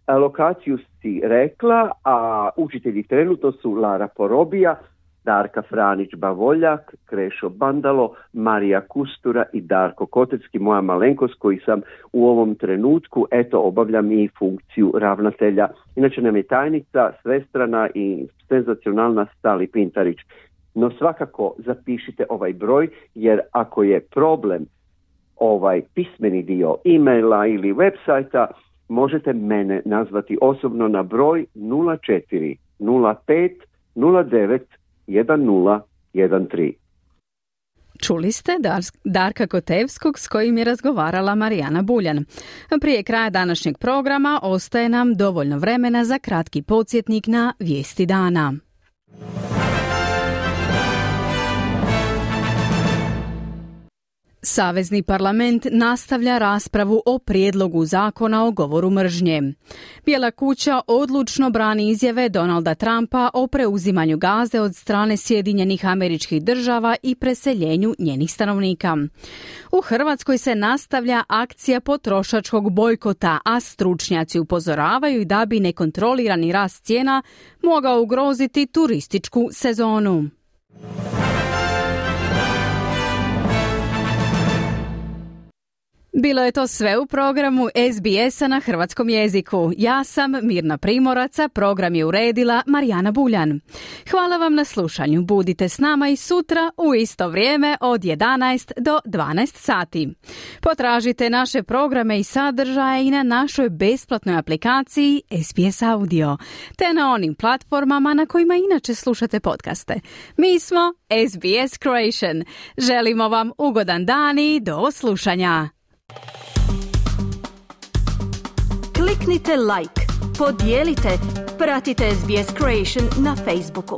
Lokaciju si rekla, a učitelji trenutno su Lara Porobija, Darka Franić-Bavoljak, Krešo Bandalo, Marija Kustura i Darko Kotecki, moja malenkost koji sam u ovom trenutku, eto, obavljam i funkciju ravnatelja. Inače nam je tajnica, svestrana i senzacionalna Stali Pintarić. No svakako zapišite ovaj broj, jer ako je problem ovaj pismeni dio e-maila ili websajta, možete mene nazvati osobno na broj nula četiri nula pet nula devet jedan nula jedan tri.
Čuli ste Darka Kotevskog s kojim je razgovarala Marijana Buljan. Prije kraja današnjeg programa ostaje nam dovoljno vremena za kratki podsjetnik na vijesti dana. Savezni parlament nastavlja raspravu o prijedlogu zakona o govoru mržnje. Bijela kuća odlučno brani izjave Donalda Trumpa o preuzimanju Gaze od strane Sjedinjenih Američkih Država i preseljenju njenih stanovnika. U Hrvatskoj se nastavlja akcija potrošačkog bojkota, a stručnjaci upozoravaju da bi nekontrolirani rast cijena mogao ugroziti turističku sezonu. Bilo je to sve u programu S B S-a na hrvatskom jeziku. Ja sam Mirna Primorac, program je uredila Marijana Buljan. Hvala vam na slušanju. Budite s nama i sutra u isto vrijeme od jedanaest do dvanaest sati. Potražite naše programe i sadržaje i na našoj besplatnoj aplikaciji S B S Audio, te na onim platformama na kojima inače slušate podcaste. Mi smo S B S Croatian. Želimo vam ugodan dan i do slušanja.
Kliknite like, podijelite, pratite S B S Croatian na Facebooku.